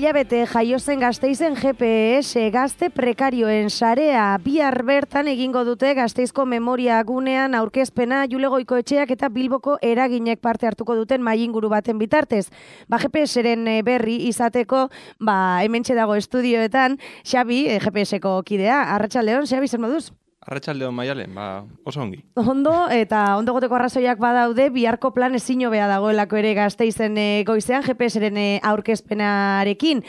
hilabete jaio zen Gasteizen GPS gazte prekarioen sarea. Bihar bertan egingo dute Gasteizko memoria gunean aurkezpena Jule Goikoetxeak eta Bilboko eraginek parte hartuko duten mahai-inguru baten bitartez. GPS-ren berri izateko, hementxe dago estudioetan, Xabi, GPS-ko kidea. Arratsaldeon, Xabi, zer moduz? Arratsaldeon Maialen, oso ongi. Ondo, eta ondo goteko arrazoiak badaude, biharko plan ezin hobea dagoelako ere Gasteizen goizean GPS-ren aurkezpenarekin.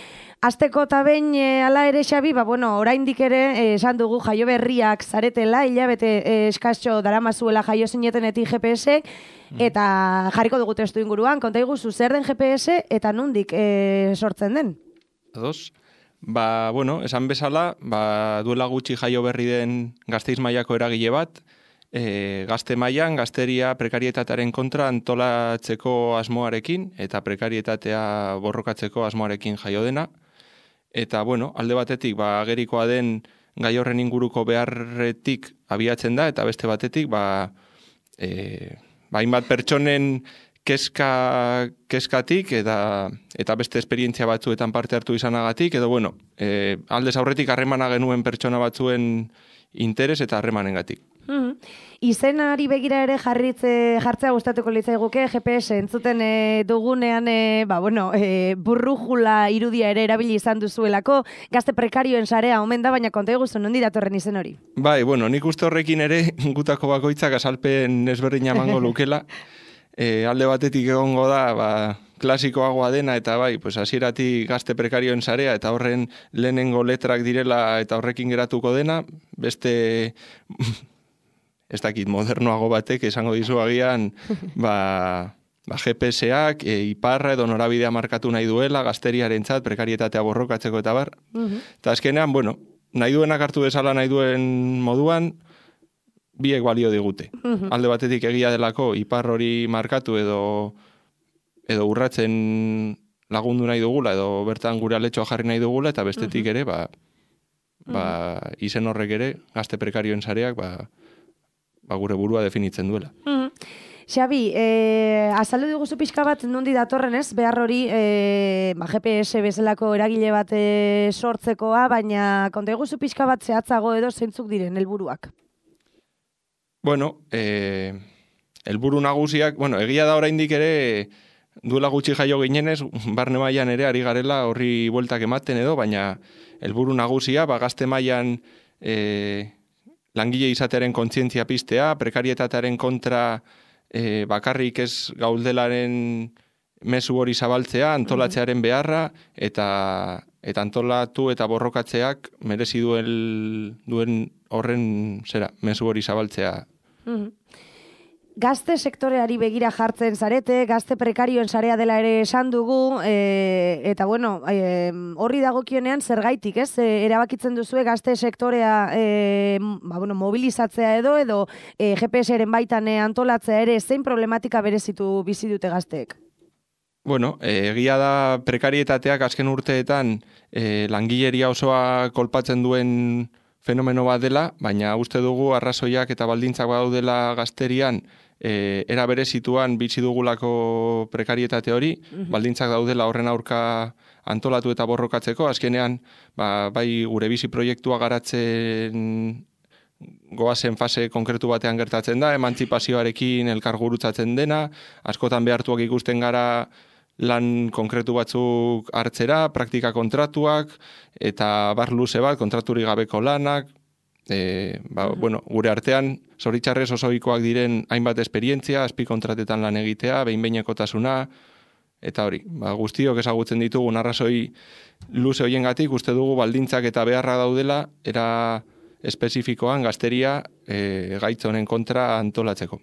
Asteko eta behin hala ere, Xabi, oraindik ere esan dugu jaio berriak zaretela, hilabete eskasio daramazuela jaio zinetenetik GPS, eta jarriko dugu testu inguruan, konta iguzu, zer den GPS eta nondik sortzen den? Ados. Esan bezala, duela gutxi jaio berri den Gasteiz mailako eragile bat, gazte mailan gazteria prekarietatearen kontra antolatzeko asmoarekin eta prekarietatea borrokatzeko asmoarekin jaio dena. Eta, alde batetik, agerikoa den gai horren inguruko beharretik abiatzen da, eta beste batetik, hainbat pertsonen keskatik eta beste esperientzia batzuetan parte hartu izanagatik, edo aldez aurretik harremana genuen pertsona batzuen interes eta harremanengatik. Izenari begira ere jartzea gustatuko litzaiguke GPS entzuten dugunean burrujula irudia ere erabili izan duzuelako, gazte prekarioen sarea omen da, baina konta eguzu nondi datorren izen hori? Nik uste horrekin ere gutako bakoitzak azalpen ezberdina emango lukela. Alde batetik egongo da, klasikoagoa dena, eta hasieratik gazte prekarioen sarea, eta horren lehenengo letrak direla eta horrekin geratuko dena, beste, ez dakit, modernoago batek esango dizu agian, GPS-ak, iparra edo norabidea markatu nahi duela, gazteriarentzat, prekarietatea borrokatzeko eta bar. Eta azkenean, nahi duenak hartu bezala nahi duen moduan, biek balio digute. Alde batetik egia delako ipar hori markatu edo urratzen lagundu nahi dugula edo bertan gure aletxoa jarri nahi dugula, eta bestetik ere izen horrek ere gazte prekarioen sareak gure burua definitzen duela. Xabi, azaldu diguzu pixka bat nondi datorren ez, behar hori GPS bezalako eragile bat sortzekoa, baina konta diguzu pixka bat zehatzago edo zeintzuk diren helburuak? Helburu nagusiak, egia da oraindik ere duela gutxi jaio ginenez, barne mailan ere ari garela horri bueltak ematen edo, baina helburu nagusia, gazte mailan langile izatearen kontzientzia piztea, prekarietatearen kontra bakarrik ez gauldelaren mezu hori zabaltzea, antolatzearen beharra, eta antolatu eta borrokatzeak merezi duen horren mezu hori zabaltzea. Gazte sektoreari begira jartzen zarete, gazte prekarioen sarea dela ere esan dugu, eta horri dagokionean zergaitik, ez? Erabakitzen duzue gazte sektorea mobilizatzea edo GPS-ren baitan antolatzea ere, zein problematika berezitu bizi dute gazteek? Egia da prekarietateak azken urteetan langileria osoa kolpatzen duen fenomeno bat dela, baina uste dugu arrazoiak eta baldintzak badaudela gazterian era berezituan bizi dugulako prekarietate hori, baldintzak daudela horren aurka antolatu eta borrokatzeko, azkenean bai gure bizi proiektua garatzen goazen fase konkretu batean gertatzen da, emantzipazioarekin elkargurutzatzen dena, askotan behartuak ikusten gara lan konkretu batzuk hartzera, praktika kontratuak, eta bar luze bat, kontraturik gabeko lanak, gure artean, zoritxarrez osoikoak diren hainbat esperientzia, azpi kontratetan lan egitea, behin-behinekotasuna, eta hori, guztiok ezagutzen ditugun arrazoi luze hoiengatik, uste dugu baldintzak eta beharra daudela, era espezifikoan gazteria gaitz honen kontra antolatzeko.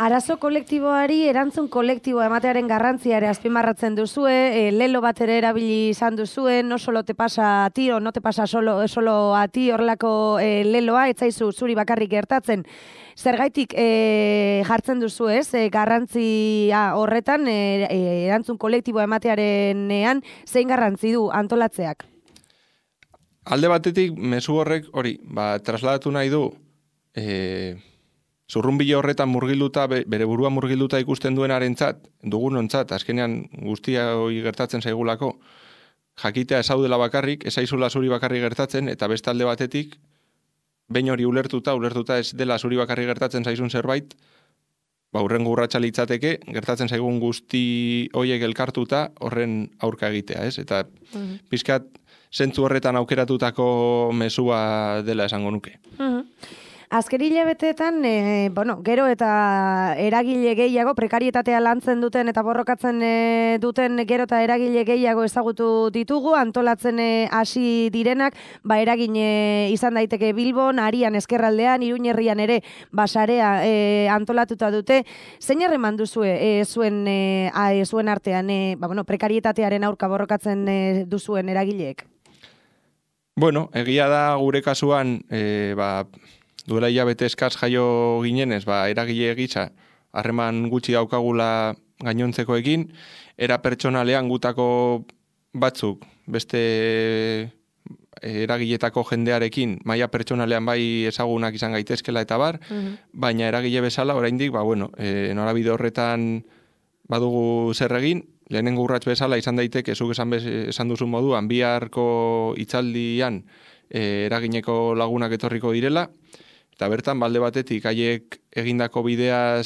Arazo kolektiboari erantzun kolektiboa ematearen garrantzia ere azpimarratzen duzue, lelo bat ere erabili izan duzue, no solo te pasa a ti o no te pasa solo a ti horrelako leloa, etzaizu zuri bakarrik gertatzen. Zergaitik jartzen duzu ez, garrantzia horretan, erantzun kolektiboa ematearenean, zein garrantzi du antolatzeak? Alde batetik, mezu horrek hori, trasladatu nahi du, zurrunbile horretan murgilduta, bere burua murgilduta ikusten duenarentzat, dugunontzat, azkenean guztia hori gertatzen zaigulako, jakitea ezaudela bakarrik, ezaizula zuri bakarrik gertatzen, eta beste alde batetik, behin hori ulertuta ez dela zuri bakarrik gertatzen zaizun zerbait, hurrengo urratsa litzateke, gertatzen zaigun guzti hoiek elkartuta horren aurka egitea, ez? Eta pixkat zentzu horretan aukeratutako mezua dela esango nuke. Azken hilabeteetan, gero eta eragile gehiago, prekarietatea lantzen duten eta borrokatzen duten gero eta eragile gehiago ezagutu ditugu, antolatzen hasi direnak, eragin izan daiteke Bilbon, Arian, Ezkerraldean, Iruñerrian ere basarea antolatuta dute. Zein harreman duzue zuen artean, prekarietatearen aurka borrokatzen duzuen eragileek? Bueno, egia da gure kasuan, duela hilabete eskaz jaio ginenez, eragile gisa, harreman gutxi daukagula gainontzekoekin, era pertsonalean gutako batzuk, beste eragiletako jendearekin, maila pertsonalean bai ezagunak izan gaitezkela eta bar, baina eragile bezala, oraindik, norabide horretan badugu zer egin, lehenengo urrats bezala izan daiteke, zuk esan duzun moduan, biharko hitzaldian eragineko lagunak etorriko direla, eta bertan, balde batetik, haiek egindako bidea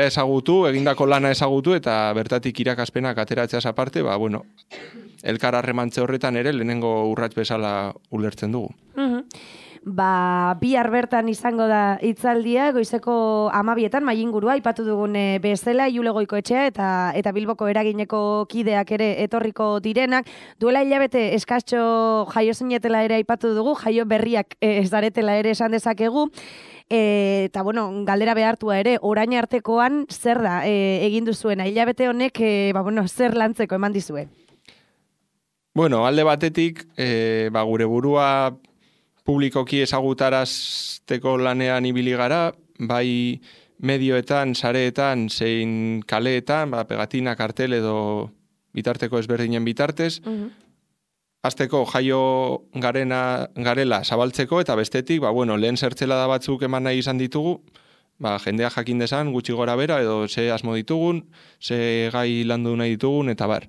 ezagutu, egindako lana ezagutu, eta bertatik irakaspenak ateratzeaz aparte, elkar harremantze horretan ere lehenengo urrats bezala ulertzen dugu. Bihar bertan izango da hitzaldia, goizeko 12etan, Mailingurua, aipatu dugun bezala, Jule Goikoetxea eta Bilboko eragineko kideak ere etorriko direnak. Duela hilabete eskastxo jaio zinetela ere aipatu dugu, jaio berriak ez daretela ere esan dezakegu. Eta, galdera behartua ere, orain artekoan zer da egin duzuena? Hilabete honek, zer lantzeko eman dizue? Alde batetik, gure burua publikoki ezagutarazteko lanean ibili gara, bai medioetan, sareetan, zein kaleetan, pegatina, kartel edo bitarteko ezberdinen bitartez, hasteko jaio garela zabaltzeko, eta bestetik, lehen zertzelada batzuk eman nahi izan ditugu, jendea jakin dezan, gutxi gora bera, edo ze asmo ditugun, ze gai landu nahi ditugun, eta bar.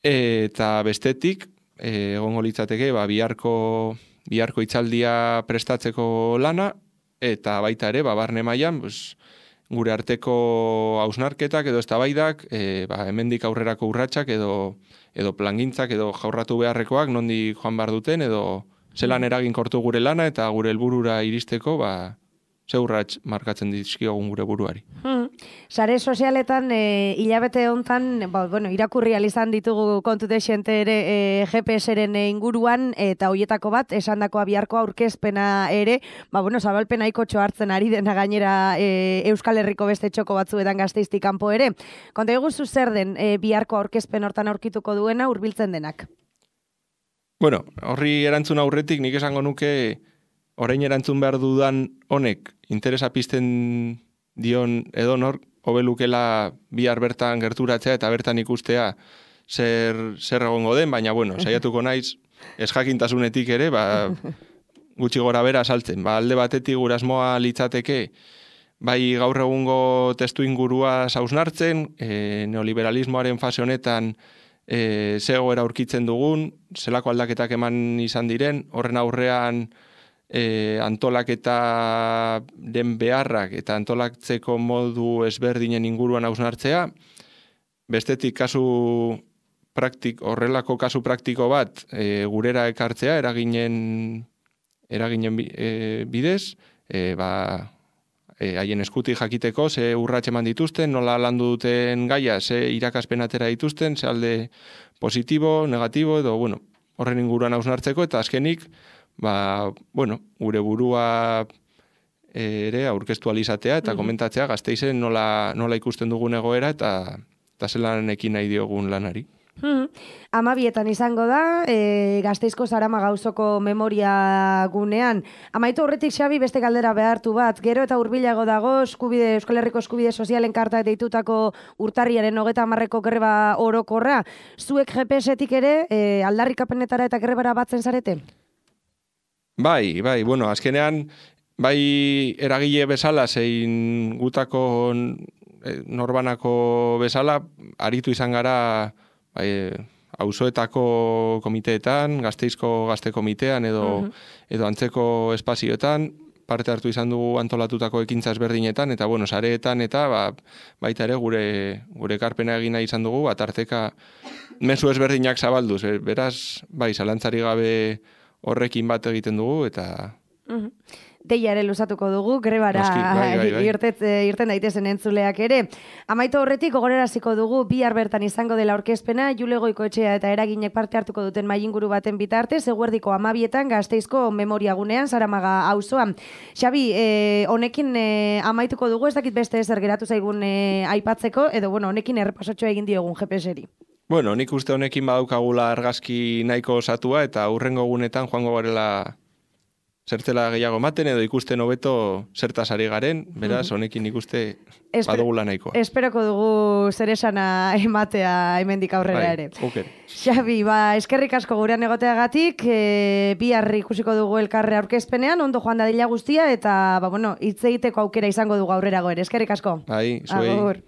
Eta bestetik, egongo litzateke, biharko hitzaldia prestatzeko lana, eta baita ere, barne mailan, gure arteko hausnarketak edo eztabaidak, hemendik aurrerako urratsak edo plangintzak edo jaurratu beharrekoak nondik joan behar duten, edo zelan eraginkortu gure lana eta gure helburura iristeko, ze urrats markatzen dizkiogun gure buruari. Sare sozialetan hilabete hontan, irakurri izan ditugu kontu dexente ere GPS-eren inguruan, eta hoietako bat, esandakoa biharko aurkezpena ere, zabalpen nahikotxo hartzen ari dena gainera Euskal Herriko beste txoko batzuetan Gasteiztik kanpo ere. Konta eguzu zer den biharko aurkezpen hortan aurkituko duena hurbiltzen denak? Horri erantzun aurretik nik esango nuke orain erantzun behar dudan honek interesa pizten dion edonor, hobelukela bihar bertan gerturatzea eta bertan ikustea zer egongo den, baina saiatuko naiz ez jakintasunetik ere, gutxi gora bera saltzen. Alde batetik gure asmoa litzateke, bai gaur egungo testu ingurua hausnartzen, neoliberalismoaren fase honetan ze egoera aurkitzen dugun, zelako aldaketak eman izan diren, horren aurrean antolaketa den beharrak eta antolatzeko modu ezberdinen inguruan hausnartzea, bestetik horrelako kasu praktiko bat gurera ekartzea eraginen bidez, haien eskutik jakiteko ze urrats eman dituzten, nola landu duten gaia, ze irakaspen atera dituzten, ze alde positibo, negatibo, edo horren inguruan hausnartzeko, eta azkenik gure burua ere aurkeztu alizatea eta komentatzea Gasteizen nola ikusten dugun egoera eta zelan ekin nahi diogun lanari. 12etan izango da, Gasteizko Zarama gauzoko memoria gunean. Amaitu horretik, Xabi, beste galdera behartu bat. Gero eta hurbilago dago, Euskal Herriko eskubide sozialen karta deitutako urtarriaren 30eko greba orokorra. Zuek GPS-etik ere aldarrikapenetara eta grebara batzen zarete? Bai, azkenean, bai eragile bezala, zein gutako norbanako bezala, aritu izan gara auzoetako komiteetan, Gasteizko gazte komitean edo antzeko espazioetan, parte hartu izan dugu antolatutako ekintza ezberdinetan, eta bueno, sareetan eta baita ere gure ekarpena egina izan dugu, tarteka mezu ezberdinak zabalduz, beraz, zalantzari gabe horrekin bat egiten dugu, eta... Deia ere luzatuko dugu, grebara irten daitezen entzuleak ere. Amaitu horretik, gogoraraziko dugu, bihar bertan izango dela aurkezpena, Jule Goikoetxea eta eraginek parte hartuko duten mailinguru baten bitartez, eguerdiko 12etan Gasteizko memoriagunean, Zaramaga auzoan. Xabi, honekin amaituko dugu, ez dakit beste ezer geratu zaigun aipatzeko, edo honekin errepasotxoa egin diogun GPS-eri. Bueno, nik uste honekin badaukagula argazki nahiko osatua, eta hurrengo gunetan joango garela zertela gehiago ematen edo ikusten hobeto zertaz ari garen, beraz, honekin ikuste badugula nahikoa. Esperoko dugu zeresana ematea hemendik aurrera ere. Okay. Xabi, eskerrik asko gurean egoteagatik, bihar ikusiko dugu elkarre aurkezpenean, ondo joan dadila guztia, eta hitz egiteko aukera izango dugu aurrerago ere. Eskerrik asko. Zuei. Agur.